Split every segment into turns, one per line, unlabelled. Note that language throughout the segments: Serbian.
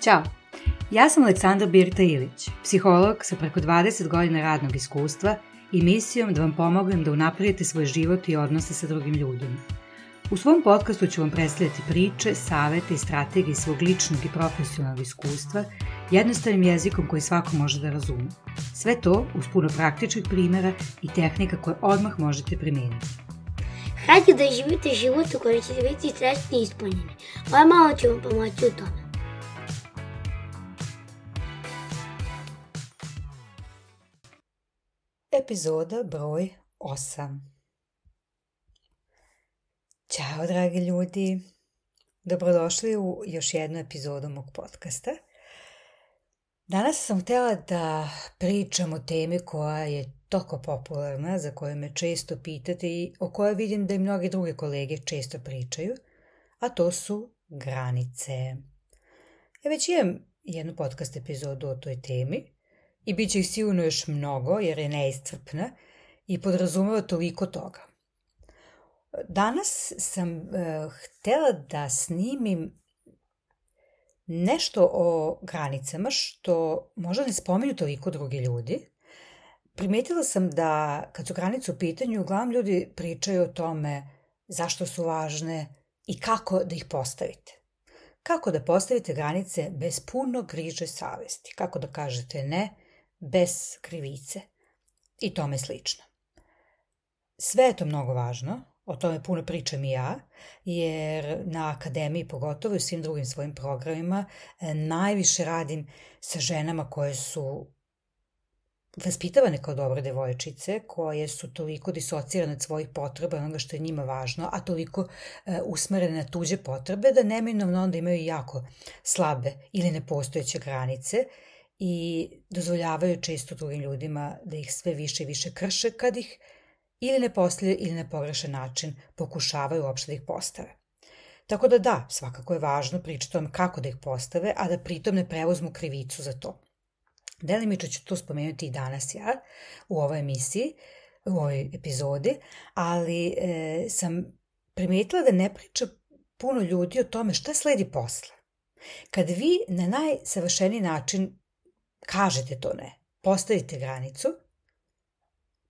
Ćao, ja sam Aleksandra Birta Ilić, psiholog sa preko 20 godina radnog iskustva i misijom da vam pomognem da unapredite svoj život i odnose sa drugim ljudima. U svom podcastu ću vam predstavljati priče, savete i strategije svog ličnog i profesionalnog iskustva jednostavnim jezikom koji svako može da razume. Sve to uz puno praktičnih primjera i tehnika koje odmah možete primijeniti.
Hajde da živite život u kojem ćete biti srećni i ispunjeni. Ovo malo ću vam pomoći u tome.
Epizoda broj 8. Ćao dragi ljudi, dobrodošli u još jednu epizodu mog podcasta. Danas sam htjela da pričam o temi koja je toliko popularna, za koju me često pitate i o kojoj vidim da i mnogi druge kolege često pričaju, a to su granice. Ja već imam jednu podcast epizodu o toj temi i bit će ih sigurno još mnogo jer je neiscrpna i podrazumeva toliko toga. Danas sam htjela da snimim nešto o granicama što možda ne spominju toliko drugi ljudi. Primetila sam da kad su granice u pitanju, uglavnom ljudi pričaju o tome zašto su važne i kako da ih postavite. Kako da postavite granice bez puno griže savesti. Kako da kažete ne bez krivice i tome slično. Sve je to mnogo važno. O tome puno pričam i ja, jer na akademiji, pogotovo i u svim drugim svojim programima, najviše radim sa ženama koje su vaspitavane kao dobre devojčice, koje su toliko disocirane od svojih potreba, onoga što je njima važno, a toliko usmerene na tuđe potrebe, da neminovno onda imaju jako slabe ili nepostojeće granice i dozvoljavaju često drugim ljudima da ih sve više i više krše kad ih ili ne postavljaju ili na pogrešan način pokušavaju uopšte da ih postave. Tako da, svakako je važno pričati o tome kako da ih postave, a da pritom ne preuzmu krivicu za to. Delimično ću to spomenuti i danas ja u ovoj emisiji, u ovoj epizodi, ali sam primetila da ne priča puno ljudi o tome šta sledi posle. Kad vi na najsavršeniji način kažete to ne, postavite granicu,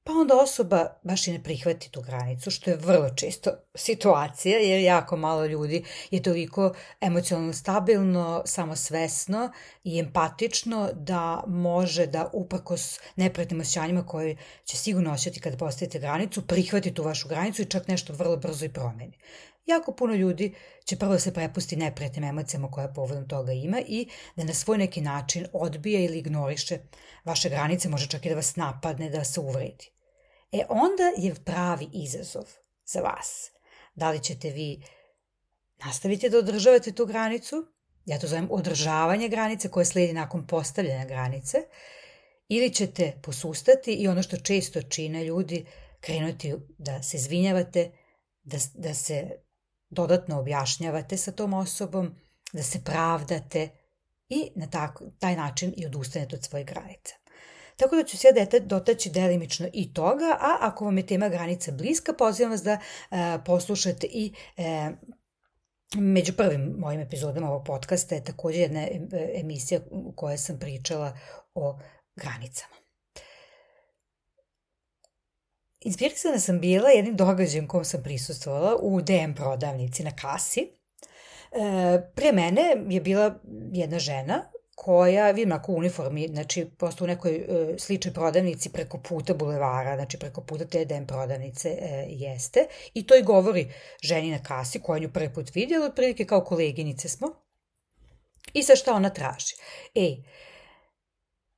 pa onda osoba baš i ne prihvati tu granicu, što je vrlo često situacija, jer jako malo ljudi je toliko emocionalno stabilno, samosvesno i empatično da može da uprkos neprijatnim osjećanjima koje će sigurno osjetiti kada postavite granicu, prihvati tu vašu granicu i čak nešto vrlo brzo i promeni. Jako puno ljudi će prvo da se prepusti neprijatnim emocijama koje povodom toga ima i da na svoj neki način odbije ili ignoriše vaše granice, može čak i da vas napadne, da vas uvredi. Onda je pravi izazov za vas. Da li ćete vi nastaviti da održavate tu granicu, ja to zovem održavanje granice koje slijedi nakon postavljanja granice, ili ćete posustati i ono što često čine ljudi, krenuti da se izvinjavate, da se dodatno objašnjavate sa tom osobom, da se pravdate i na taj način i odustanete od svojih granica. Tako da ću se ja dotaći delimično i toga, a ako vam je tema granica bliska, pozivam vas da poslušate i među prvim mojim epizodama ovog podcasta je također jedna emisija u kojoj sam pričala o granicama. Inspirisana sam bila jednim događajem kom sam prisustvovala u DM prodavnici na kasi. Prije mene je bila jedna žena koja, vidim ako u uniformi, znači prosto u nekoj sličnoj prodavnici preko puta bulevara, znači preko puta te DM prodavnice jeste. I to i govori ženi na kasi koja nju prvi put vidjela, otprilike kao koleginice smo. I sad šta ona traži?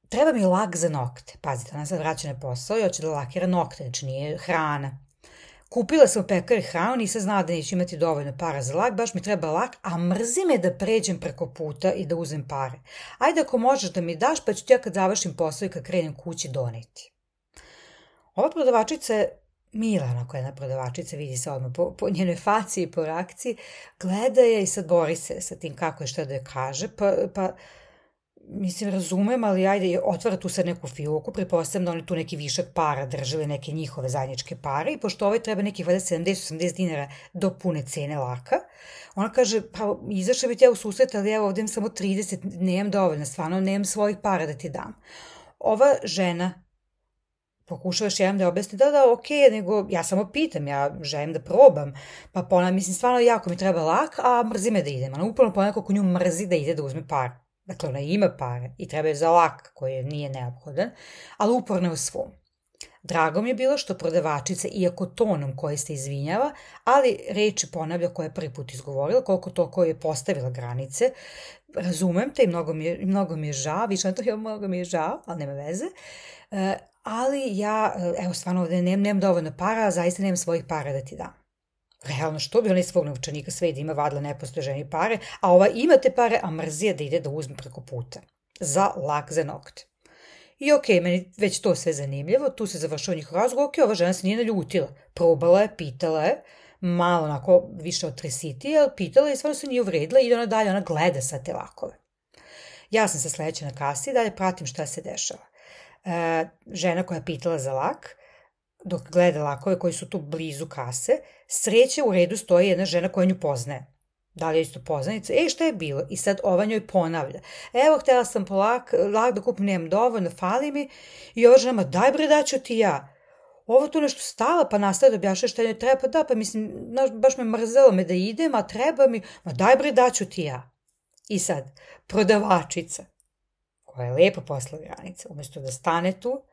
Treba mi lak za nokte. Pazite, ona sad vraća na posao i hoće da lakira nokte, znači nije hrana. Kupila sam u pekari hranu, nisam znala da neću imati dovoljno para za lak, baš mi treba lak, a mrzi me da pređem preko puta i da uzem pare. Ajde ako možeš da mi daš, pa ću ti ja kad završim posao i kad krenem kući doneti. Ova prodavačica je mila, onako jedna prodavačica, vidi se odmah po njenoj faci i po reakciji, gleda je i sad bori se sa tim kako je šta da je kaže, pa mislim, razumem, ali ajde, otvara tu sad neku fijoku, pretpostavljam da oni tu neki višak para držali, neke njihove zajedničke pare i pošto ovaj treba nekih 70-80 dinara do pune cene laka, ona kaže, pa izašla bi ti ja u susret, ali evo ovdje imam samo 30, nemam dovoljno, stvarno nemam svojih para da ti dam. Ova žena pokušava još jedan da objasni, da, okej, nego ja samo pitam, ja želim da probam, pa ponavljam, mislim, stvarno jako mi treba lak, a mrzi me da idem. Ona upravo ponavljam kako nju mrzi da ide da uzme par. Dakle, ona ima pare i treba je za lak koji nije neophodan, ali uporno je u svom. Drago mi je bilo što prodavačica, iako tonom koji se izvinjava, ali reči ponavlja koje je prvi put izgovorila, koliko to koji je postavila granice, razumem te i mnogo mi je žao, više na to mnogo mi je žao, ali nema veze, ali ja, evo stvarno ovdje nemam dovoljno para, a zaista nemam svojih para da ti dam. Realno, što bi ona iz svog novčanika sve da ima vadila nepostoje ženi pare, a ova ima te pare, a mrzija da ide da uzme preko puta. Za lak za nokte. I okej, meni već to sve zanimljivo, tu se završao njihov razgovor, okej, ova žena se nije naljutila. Probala je, pitala je, malo onako više od tresiti, ali pitala je i stvarno se nije uvredila i ide ona dalje, ona gleda sad te lakove. Ja sam se sledeća na kasi i dalje pratim šta se dešava. Žena koja je pitala za lak, dok gleda lakove koji su tu blizu kase, sreće u redu stoji jedna žena koja nju poznaje. Da li je isto poznanica? Šta je bilo? I sad ova njoj ponavlja. Evo, htjela sam po lak da kupim, nemam dovoljno, fali mi. I ova žena, ma daj bre, daću ti ja. Ovo tu nešto stala, pa nastavlja da objašnja šta njoj treba, pa da, pa mislim, baš me mrzelo me da idem, a treba mi, ma daj bre, daću ti ja. I sad, prodavačica, koja je lepo posla granice, umjesto da stane tu,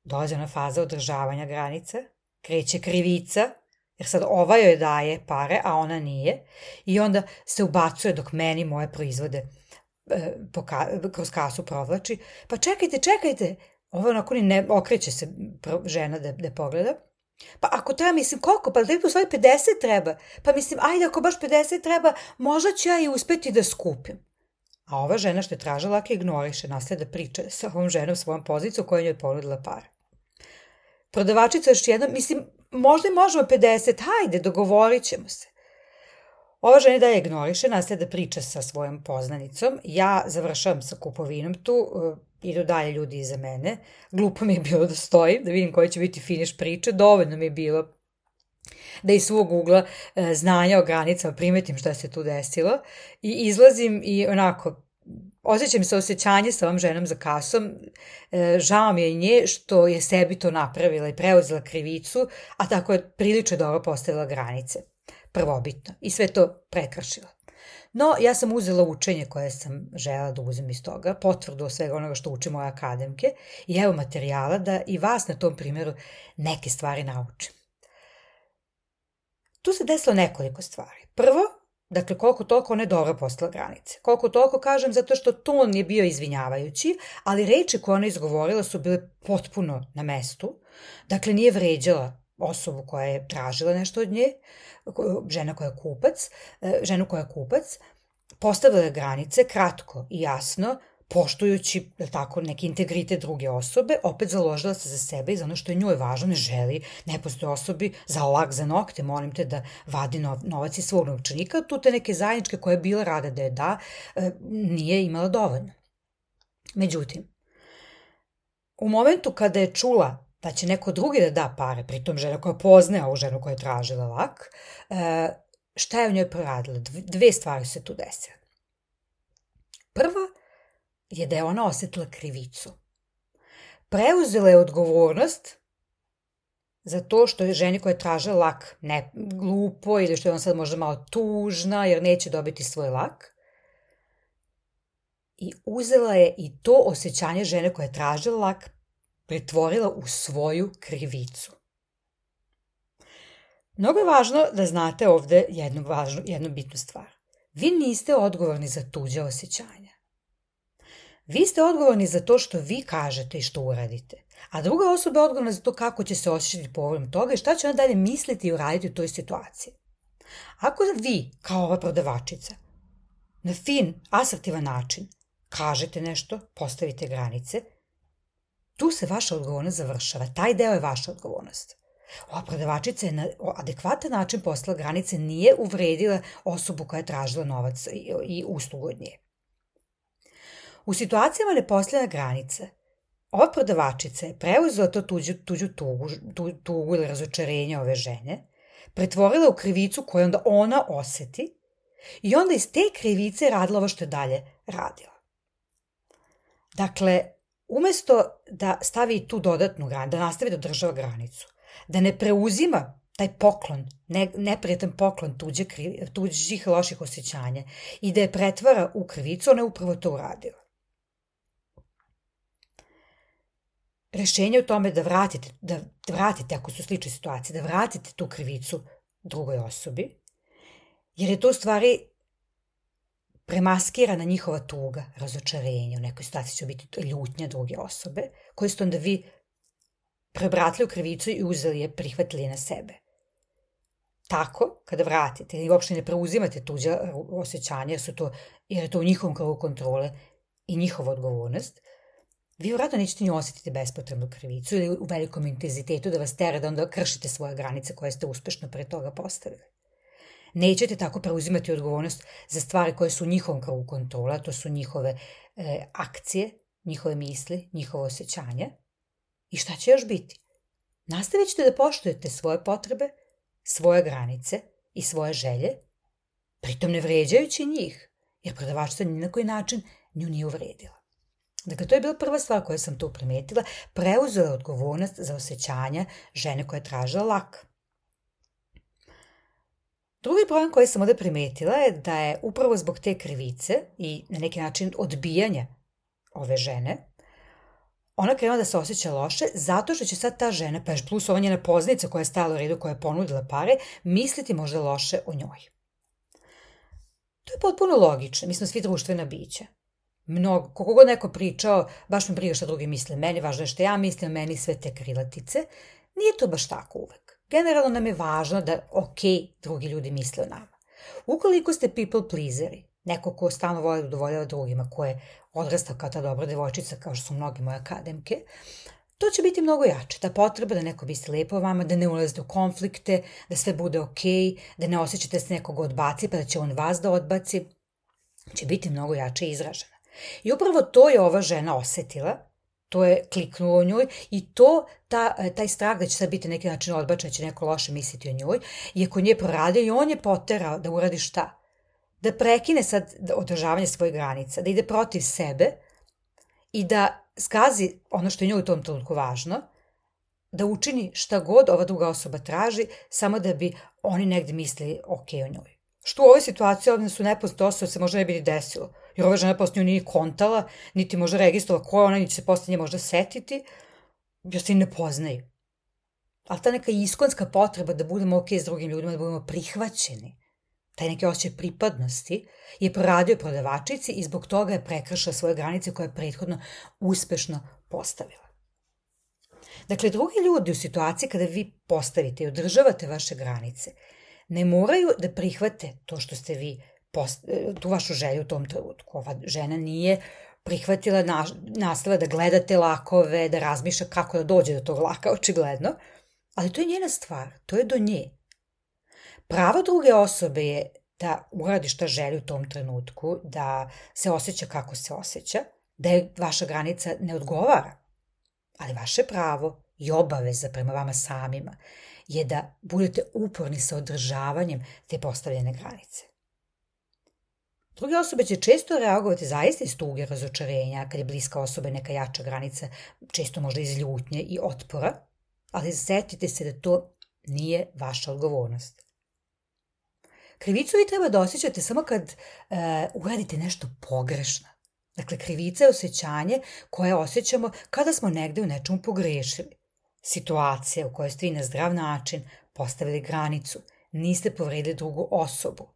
dolazi ona faza održavanja granice, kreće krivica, jer sad ova joj daje pare, a ona nije, i onda se ubacuje dok meni moje proizvode kroz kasu provlači. Pa čekajte, ovo onako ni ne okreće se žena da pogleda. Pa ako treba, mislim, koliko? Pa da u stvari 50 treba. Pa mislim, ajde, ako baš 50 treba, možda ću ja i uspeti da skupim. A ova žena što je tražila laka ignoriše, nastavlja da priča sa ovom ženom svojom poziciju koja njoj ponudila pare. Prodavačica još jednom, mislim, možda i možemo 50, hajde, dogovorit ćemo se. Ova žena dalje ignoriše, nastavlja da priča sa svojom poznanicom, ja završavam sa kupovinom tu, idu dalje ljudi iza mene, glupo mi je bilo da stojim, da vidim koji će biti finiš priče, dovoljno mi je bilo da iz svog ugla znanja o granicama primetim šta se tu desilo i izlazim i onako, osjećam se osjećanje sa ovom ženom za kasom, žao mi je nje što je sebi to napravila i preuzela krivicu, a tako je prilično dobro postavila granice, prvobitno, i sve to prekršila. No, ja sam uzela učenje koje sam želela da uzem iz toga, potvrdu od svega onoga što uče moje akademke i evo materijala da i vas na tom primjeru neke stvari naučim. Tu se desilo nekoliko stvari. Prvo, dakle, koliko toliko ona je dobro postavila granice. Koliko toliko kažem zato što ton je bio izvinjavajući, ali reči koje ona izgovorila su bile potpuno na mestu. Dakle, nije vređala osobu koja je tražila nešto od nje, ženu koja je kupac, postavila je granice kratko i jasno, poštujući tako, neki integritet druge osobe, opet založila se za sebe i za ono što je njoj važno, ne želi nepostoje osobi za lak za nokte, molim te da vadi novac iz svog novčanika, tu te neke zajedničke koje je bila rada da je da, nije imala dovoljno. Međutim, u momentu kada je čula da će neko drugi da da pare, pritom žena koja poznaje ovu ženu koja je tražila lak, šta je u njoj proradila? Dve stvari se tu desile. Prva je da je ona osjetila krivicu. Preuzela je odgovornost za to što je ženi koja je tražila lak ne glupo ili što je ona sad možda malo tužna jer neće dobiti svoj lak. I uzela je i to osjećanje žene koja je tražila lak pretvorila u svoju krivicu. Mnogo je važno da znate ovde jednu bitnu stvar. Vi niste odgovorni za tuđe osjećanja. Vi ste odgovorni za to što vi kažete i što uradite, a druga osoba je odgovorna za to kako će se osjećati povodom toga i šta će ona dalje misliti i uraditi u toj situaciji. Ako vi, kao ova prodavačica, na fin, asertivan način kažete nešto, postavite granice, tu se vaša odgovornost završava. Taj deo je vaša odgovornost. Ova prodavačica je na adekvatan način postavila granice, nije uvredila osobu koja je tražila novac i uslugu od nje. U situacijama nepostojanja granice, ova prodavačica je preuzela to tuđu tugu ili razočarenje ove žene, pretvorila u krivicu koju onda ona oseti i onda iz te krivice radila ovo što je dalje radila. Dakle, umesto da stavi tu dodatnu granicu, da nastavi da održava granicu, da ne preuzima taj poklon, neprijatan poklon tuđih loših osjećanja i da je pretvara u krivicu, ona je upravo to uradila. Rešenje u tome da vratite, ako su slične situacije, da vratite tu krivicu drugoj osobi, jer je to u stvari premaskirana njihova tuga, razočarenje, u nekoj situaciji će biti ljutnja druge osobe, koje ste onda vi prebratili u krivicu i uzeli je, prihvatili je na sebe. Tako, kada vratite i uopšte ne preuzimate tuđa osjećanja, jer je to u njihovom krugu kontrole i njihova odgovornost, vi vjerojatno nećete ni osetiti bespotrebnu krivicu ili u velikom intenzitetu da vas tera da onda kršite svoje granice koje ste uspešno pre toga postavili. Nećete tako preuzimati odgovornost za stvari koje su u njihovom krugu kontrola, to su njihove akcije, njihove misli, njihove osjećanja. I šta će još biti? Nastavit ćete da poštujete svoje potrebe, svoje granice i svoje želje, pritom ne vređajući njih, jer prodavačica ni na koji način nju nije uvredila. Dakle, to je bila prva stvar koju sam tu primetila, preuzela odgovornost za osjećanja žene koja je tražila lak. Drugi problem koji sam ovde primetila je da je upravo zbog te krivice i na neki način odbijanja ove žene, ona krenula da se osjeća loše zato što će sad ta žena, pa još plus ova njena poznanica koja je stajala u redu, koja je ponudila pare, misliti možda loše o njoj. To je potpuno logično, mi smo svi društvena bića. Koliko god neko pričao, baš me briga šta drugi misle meni, važno je što ja mislim, meni sve te krilatice, nije to baš tako uvek. Generalno nam je važno da drugi ljudi misle o nama. Ukoliko ste people pleaseri, neko ko stalno voli da udovoljava drugima, ko je odrastao kao ta dobra devojčica, kao što su mnogi moje akademke, to će biti mnogo jače. Ta potreba da neko misli lepo o vama, da ne ulazite u konflikte, da sve bude da ne osjećate da se nekog odbaci, pa da će on vas da odbaci, će biti mnogo jače izražena. I upravo to je ova žena osetila, to je kliknulo u njoj i taj strah da će sad biti neki način odbačen, da će neko loše misliti o njoj, je kod nje proradio i on je poterao da uradi šta? Da prekine sad održavanje svojih granica, da ide protiv sebe i da zgazi ono što je njoj u tom trenutku važno, da učini šta god ova druga osoba traži, samo da bi oni negde mislili o njoj. Što u ovoj situaciji ovdje su nepoznate osobe se možda ne bi ni desilo, jer ova žena posle nju nije kontala, niti možda registrovala ko je ona, niti se posle nje možda setiti, jer se i ne poznaju. Ali ta neka iskonska potreba da budemo s drugim ljudima, da budemo prihvaćeni, taj neki osjećaj pripadnosti, je proradio prodavačici i zbog toga je prekršila svoje granice koje je prethodno uspešno postavila. Dakle, drugi ljudi u situaciji kada vi postavite i održavate vaše granice, ne moraju da prihvate to što ste vi, tu vašu želju u tom trenutku. Ova žena nije prihvatila, nastavila da gleda te lakove, da razmišlja kako da dođe do tog laka, očigledno, ali to je njena stvar, to je do nje. Pravo druge osobe je da uradi šta želi u tom trenutku, da se osjeća kako se osjeća, da je vaša granica ne odgovara, ali vaše pravo i obaveza prema vama samima je da budete uporni sa održavanjem te postavljene granice. Druge osobe će često reagovati zaista iz tuge, razočarenja, kad je bliska osoba neka jača granica, često možda iz ljutnje i otpora, ali setite se da to nije vaša odgovornost. Krivicu vi treba da osjećate samo kad uradite nešto pogrešno. Dakle, krivica je osjećanje koje osjećamo kada smo negde u nečemu pogrešili. Situacija u kojoj ste vi na zdrav način postavili granicu, niste povredili drugu osobu.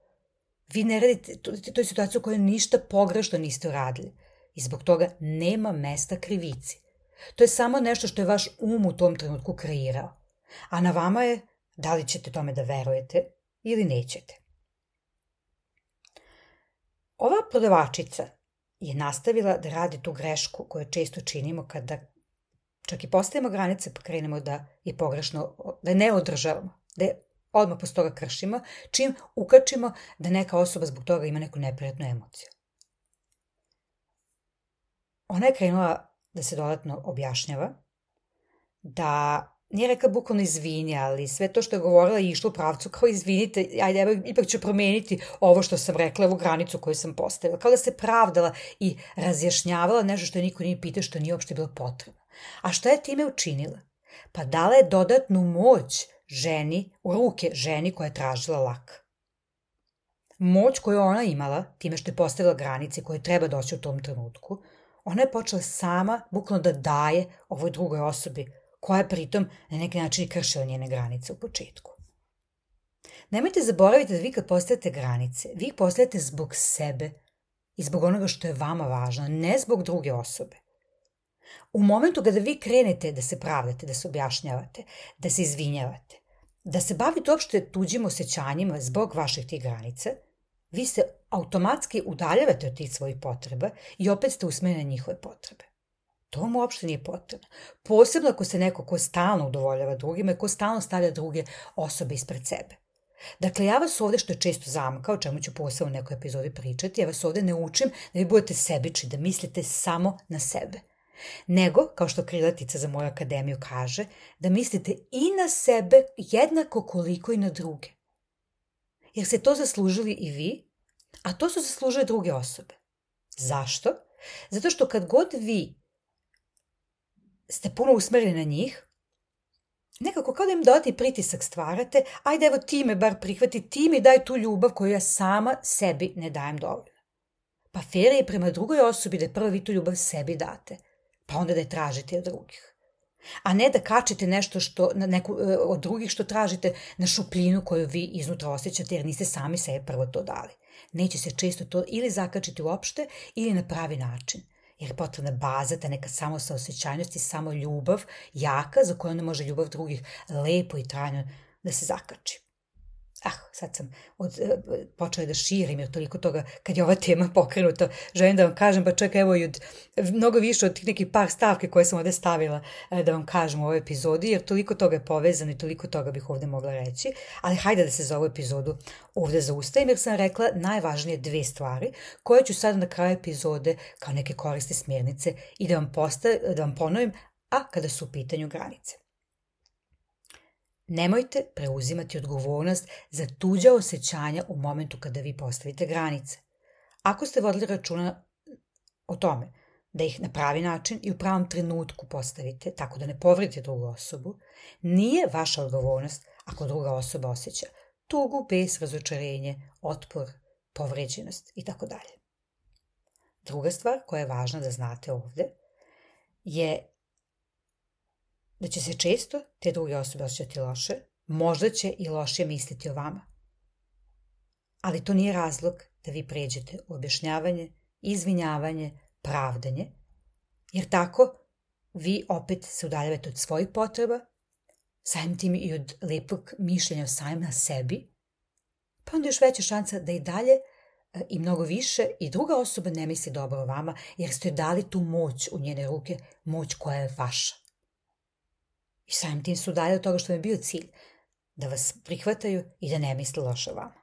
Vi ne radite, to je situacija u kojoj ništa pogrešno niste uradili i zbog toga nema mesta krivici. To je samo nešto što je vaš u tom trenutku kreirao. A na vama je da li ćete tome da verujete ili nećete. Ova prodavačica je nastavila da radi tu grešku koju često činimo kada čak i postavimo granice pa krenemo da je pogrešno, da je ne održavamo, da je odmah posle toga kršimo, čim ukačimo da neka osoba zbog toga ima neku neprijatnu emociju. ona je krenula da se dodatno objašnjava, da nije rekla bukvalno izvini, ali sve to što je govorila je išlo u pravcu kao izvinite, ajde, evo, ipak ću promeniti ovo što sam rekla, evo granicu koju sam postavila. Kao da se pravdala i razjašnjavala nešto što je niko nije pitao, što nije uopšte bilo potrebno. A šta je time učinila? Pa dala je dodatnu moć ženi, u ruke ženi koja je tražila lak. Moć koju ona imala, time što je postavila granice koje treba doći u tom trenutku, ona je počela sama bukvalno da daje ovoj drugoj osobi, koja je pritom na neki način kršila njene granice u početku. Nemojte zaboraviti da vi kad postavite granice, vi ih postavite zbog sebe i zbog onoga što je vama važno, ne zbog druge osobe. U momentu kada vi krenete da se pravdate, da se objašnjavate, da se izvinjavate, da se bavite uopšte tuđim osjećanjima zbog vaših tih granica, vi se automatski udaljavate od tih svojih potreba i opet ste usmereni na njihove potrebe. To vam uopšte nije potrebno. Posebno ako se neko ko stalno udovoljava drugima i ko stalno stavlja druge osobe ispred sebe. Dakle, ja vas ovde, što je često zamka, o čemu ću posebno u nekoj epizodi pričati, ja vas ovde ne učim da vi budete sebični, da mislite samo na sebe. Nego, kao što krilatica za moju akademiju kaže, da mislite i na sebe jednako koliko i na druge. Jer ste to zaslužili i vi, a to su zaslužile druge osobe. Zašto? Zato što kad god vi ste puno usmereni na njih, nekako kao da im dodati pritisak stvarate, ajde evo ti me bar prihvati, ti mi daj tu ljubav koju ja sama sebi ne dajem dovoljno. Pa fair je prema drugoj osobi da prvo vi tu ljubav sebi date, pa onda da je tražite od drugih. A ne da kačite nešto od drugih što tražite na šupljinu koju vi iznutra osjećate jer niste sami sebi prvo to dali. Neće se često to ili zakačiti uopšte ili na pravi način. Jer je potrebna baza, ta neka samosaosećajnost i samo ljubav jaka za koju onda može ljubav drugih lepo i trajno da se zakači. Sad sam počela da širim jer toliko toga, kad je ova tema pokrenuta, želim da vam kažem, pa čak evo i mnogo više od tih nekih par stavke koje sam ovde stavila da vam kažem u ovoj epizodi, jer toliko toga je povezano i toliko toga bih ovde mogla reći, ali hajde da se za ovu epizodu ovde zaustavim jer sam rekla najvažnije 2 stvari koje ću sad na kraju epizode kao neke korisne smjernice i da vam ponovim, a kada su u pitanju granice. Nemojte preuzimati odgovornost za tuđa osjećanja u momentu kada vi postavite granice. Ako ste vodili računa o tome da ih na pravi način i u pravom trenutku postavite, tako da ne povredite drugu osobu, nije vaša odgovornost ako druga osoba osjeća tugu, bes, razočarenje, otpor, povređenost itd. Druga stvar koja je važna da znate ovde je da će se često te druge osobe osjećati loše, možda će i loše misliti o vama. Ali to nije razlog da vi pređete u objašnjavanje, izvinjavanje, pravdanje, jer tako vi opet se udaljavate od svojih potreba, samim tim i od lepog mišljenja o samim na sebi, pa onda još veća šansa da i dalje i mnogo više i druga osoba ne misli dobro o vama, jer ste dali tu moć u njene ruke, moć koja je vaša. I samim tim su dalje od toga što mi je bio cilj, da vas prihvataju i da ne misle loše o vama.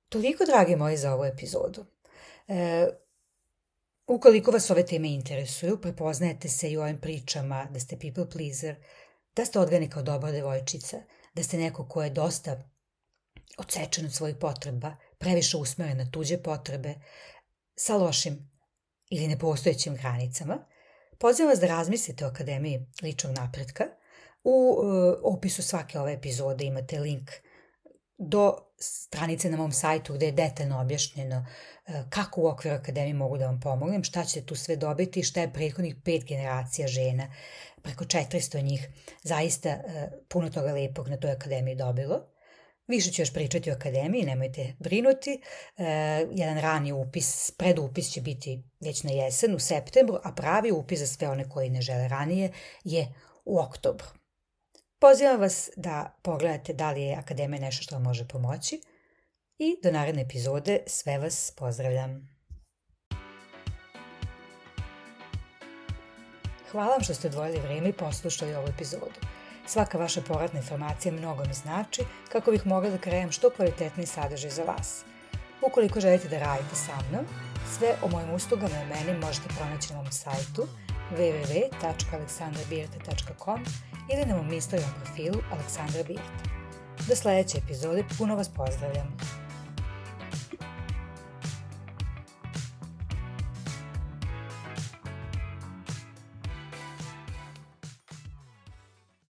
Toliko, dragi moji, za ovu epizodu. Ukoliko vas ove teme interesuju, prepoznajete se i u ovim pričama da ste people pleaser, da ste odgajani kao dobra devojčica, da ste neko ko je dosta odsečen od svojih potreba, previše usmeren na tuđe potrebe, sa lošim ili nepostojećim granicama, pozivam vas da razmislite o Akademiji ličnog napretka. U opisu svake ove epizode imate link do stranice na mom sajtu gde je detaljno objašnjeno kako u okviru Akademije mogu da vam pomognem, šta ćete tu sve dobiti, šta je prethodnih 5 generacija žena, preko 400 njih, zaista puno toga lepog na toj Akademiji dobilo. Više ću još pričati o Akademiji, nemojte brinuti. Jedan rani upis, predupis će biti već na jesen, u septembru, a pravi upis za sve one koji ne žele ranije je u oktobru. Pozivam vas da pogledate da li je Akademija nešto što vam može pomoći i do naredne epizode sve vas pozdravljam. Hvala vam što ste odvojili vreme i poslušali ovu epizodu. Svaka vaša povratna informacija mnogo mi znači kako bih mogla da kreiram što kvalitetniji sadržaj za vas. Ukoliko želite da radite sa mnom, Sve o mojim uslugama i meni možete pronaći na mom sajtu www.aleksandrabirta.com ili na mom Instagram profilu Aleksandra Birta. Do sledeće epizode puno vas pozdravljam.